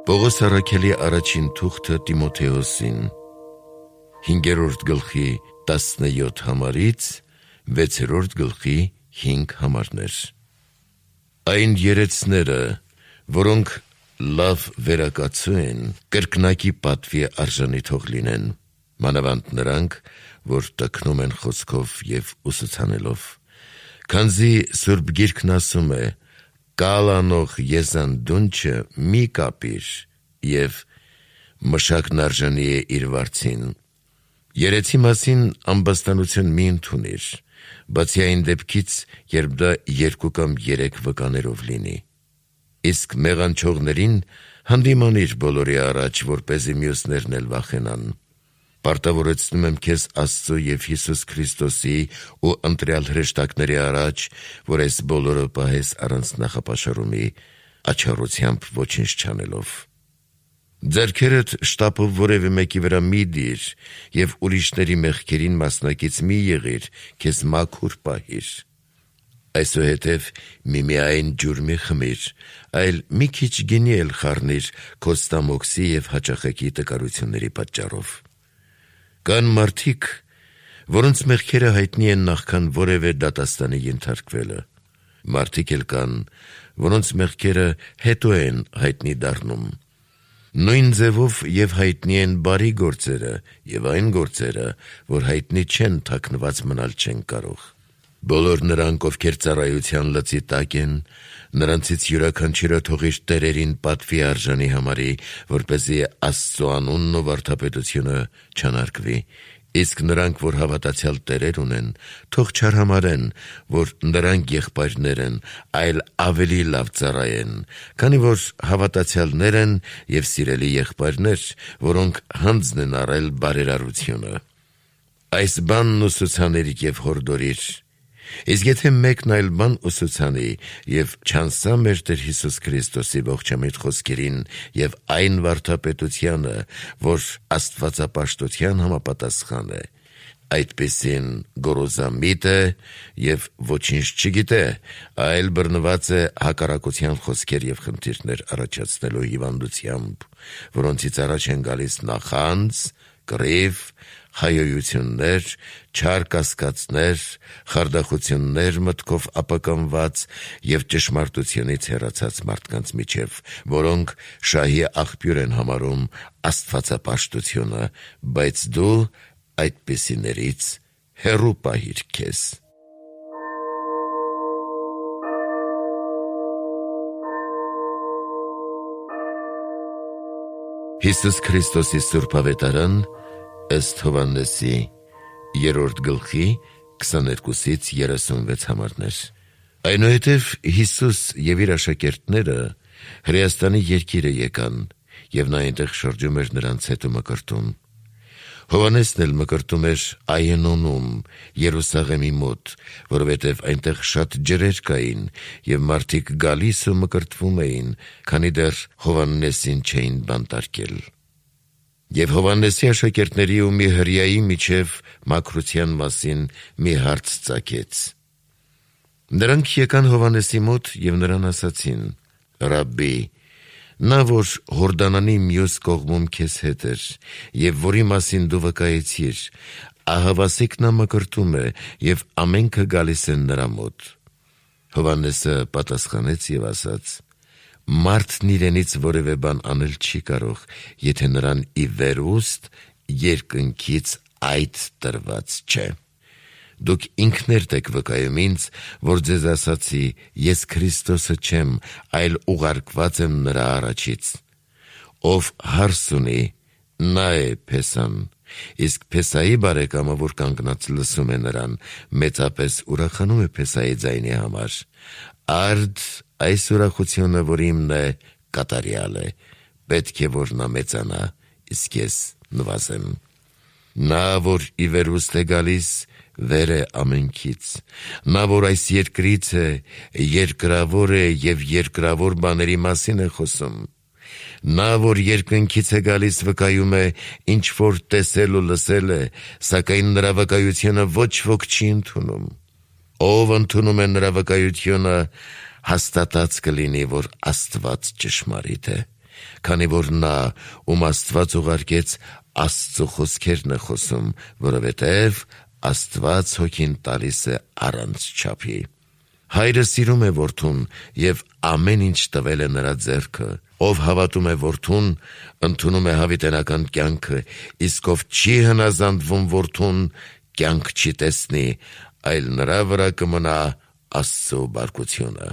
Պողոս առաքելի առաջին թուղթը Տիմոթեոսին 5-րդ գլխի 17 համարից 6-րդ գլխի 5 համարներ։ Այն երեցները, որոնք լավ վերակացու են, կրկնակի պատվի արժանի թող լինեն, մանավանդ նրանք, որ տքնում են խոսքով և ուսուցանելով, քանզի Սուրբ Գիրքն ասում է. «Կալանող եզան դունչը մի կապիր, և մշակն արժանի է իր վարձին»։ Երեցի մասին ամբաստանություն մի ընդունիր, բացի այն դեպքից, երբ դա 2 կամ 3 վկաներով լինի։ Իսկ մեղանչողներին հանդիմանիր բոլորի առաջ, որպեսզի մյուսներն էլ վախենան։ Պարտավորեցնում եմ քեզ Աստծո և Հիսուս Քրիստոսի ու ընտրյալ հրեշտակների առաջ, որ այս բոլորը պահես առանց նախապաշարումի, աչառությամբ ոչինչ չանելով։ Ձեռքերդ շտապով որևէ մեկի վրա մի դիր և ուրիշների մեղքերին մասնակից մի եղիր, քեզ մաքուր պահիր։ Այսուհետև միմիայն ջուր մի խմիր, այլ մի քիչ գինի էլ խառնիր քո ստամոքսի և հաճախակի տկարությունների պատճառով։ Կան մարդիկ, որոնց մեղքերը հայտնի են նախքան որևէ դատաստանի ենթարկվելը։ Մարդիկ էլ կան, որոնց մեղքերը հետո են հայտնի դառնում։ Նույն ձևով և հայտնի են բարի գործերը և այն գործերը, որ հայտնի չեն, թաքնված մնալ չեն կարող։ Բոլոր նրանք, ովքեր ծառայության լծի տակ են, նրանցից յուրաքանչյուրը թող իր տերերին պատվի արժանի համարի, որպեսզի Աստծո անունն ու վարդապետությունը չանարգվի, իսկ նրանք, որ հավատացյալ տերեր ունեն, թող չարհամարեն, որ նրանք եղբայրներ են, այլ ավելի լավ ծառայեն, քանի որ հավատացյալներ են և սիրելի եղբայրներ, որոնք հանձն են առել բարերարությունը։ Այս բանն ուսուցանիր և հորդորիր։ Իսկ եթե մեկն այլ բան ուսուցանի և չանսա մեր Տեր Հիսուս Քրիստոսի ողջամիտ խոսքերին և այն վարդապետությանը, որ աստվածապաշտության համապատասխան է, այդպիսին գոռոզամիտ է և ոչինչ չգիտե, այլ բռնված է հակառակության խոսքեր և խնդիրներ առաջացնելու հիվանդությամբ, որոնցից առաջ են գալիս նախանձ, կռիվ, հայոյություններ, չար կասկածներ, խարդախություններ մտքով ապականված և ճշմարտությունից հեռացած մարդկանց միջև, որոնք շահի աղբյուր են համարում աստվածապաշտությունը, բայց դու այդպիսիներից հեռու պահիր քեզ։ Հիսուս Քրիստոսի Սուրբ Ավետարան ըստ Հովհաննեսի 3-րդ գլխի 22-ից 36 համարներ։ Այնուհետև Հիսուս և իր աշակերտները Հրեաստանի երկիրը եկան, և նա այնտեղ շրջում էր նրանց հետ ու մկրտում։ Հովհաննեսն էլ մկրտում էր Այենոնում, Երուսաղեմի մոտ, որովհետև այնտեղ շատ ջրեր կային, և մարդիկ գալիս ու մկրտվում էին, քանի դեռ Հովհաննեսին չէին բանտարկել։ Եվ Հովհաննեսի աշակերտների ու մի հրեայի միջև մաքրության մասին մի հարց ծագեց։ Նրանք եկան Հովհաննեսի մոտ և նրան ասացին. «Ռաբբի, նա, որ Հորդանանի մյուս կողմում քեզ հետ էր, և որի մասին դու վկայեցիր, ահավասիկ նա մկրտում է, և ամենքը գալիս են նրա մոտ»։ Հովհաննեսը պատասխանեց և ասաց. «Մարդն իրենից որևէ բան անել չի կարող, եթե նրան ի վերուստ երկնքից այդ տրված չէ։ Դուք ինքներդ եք վկայում ինձ, որ ձեզ ասացի, ես Քրիստոսը չեմ, այլ ուղարկված եմ նրա առաջից։ Ով հարս ունի, նա է Փեսան, իսկ Փեսայի բարեկամը, որ կանգնած լսում է նրան, մեծապես ուրախանում է Փեսայի ձայնի համար։ Արդ այս ուրախությունը, որ իմն է, կատարյալ է, պետք է, որ նա մեծանա, իսկ ես նվազեմ։ Նա, որ ի վերուստ է գալիս, վեր է ամենքից։ Նա, որ այս երկրից է, երկրավոր է և երկրավոր բաների մասին է խոսում։ Նա, որ երկնքից է գալիս, վկայում է, ինչ որ տեսել ու լսել է, սակայն նրա վկայությունը ոչ ոք չի ընդունում։ Ով ընդունում է նրա վկայությունը, հաստատած կլինի, որ Աստված ճշմարիտ է, Քանի որ նա, ում Աստված ուղարկեց, Աստծո խոսքերն է խոսում, որովհետև Աստված հոգին տալիս է առանց չափի։ Հայրը սիրում է որդուն և ամեն ինչ տվել է նրա ձեռքը։ Ով հավատում է որդուն, ընդունում է հավիտենական կյանքը, իսկ ով չի հնազանդվում որդուն, կյանք չի տեսնի, այլ նրա վրա կմնա Աստծո բարկությունը։